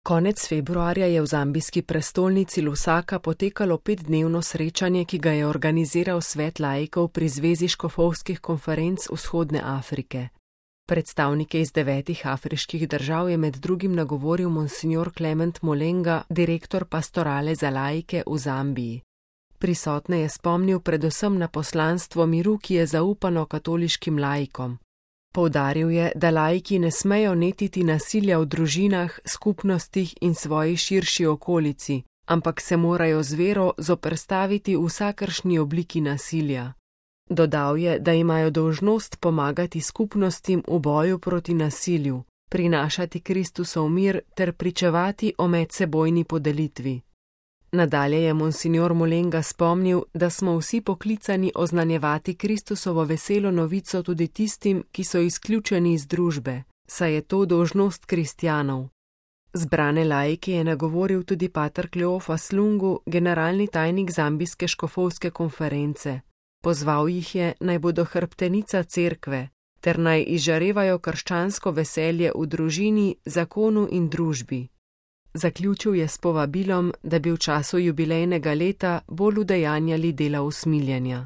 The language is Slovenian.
Konec februarja je v zambijski prestolnici Lusaka potekalo 5-dnevno srečanje, ki ga je organiziral Svet laikov pri Zvezi škofovskih konferenc Vzhodne Afrike. Predstavnike iz 9 afriških držav je med drugim nagovoril monsignor Clement Molenga, direktor pastorale za laike v Zambiji. Prisotne je spomnil predvsem na poslanstvo miru, ki je zaupano katoliškim laikom. Poudaril je, da laiki ne smejo netiti nasilja v družinah, skupnostih in svoji širši okolici, ampak se morajo z vero zoperstaviti vsakršni obliki nasilja. Dodal je, da imajo dolžnost pomagati skupnostim v boju proti nasilju, prinašati Kristusov mir ter pričevati o medsebojni podelitvi. Nadalje je monsignor Molenga spomnil, da smo vsi poklicani oznanjevati Kristusovo veselo novico tudi tistim, ki so izključeni iz družbe, saj je to dolžnost kristjanov. Zbrane laike je nagovoril tudi pater Kleofas Lungu, generalni tajnik zambijske škofovske konference. Pozval jih je, naj bodo hrbtenica cerkve, ter naj izžarevajo krščansko veselje v družini, zakonu in družbi. Zaključil je s povabilom, da bi v času jubilejnega leta bolj udejanjali dela usmiljenja.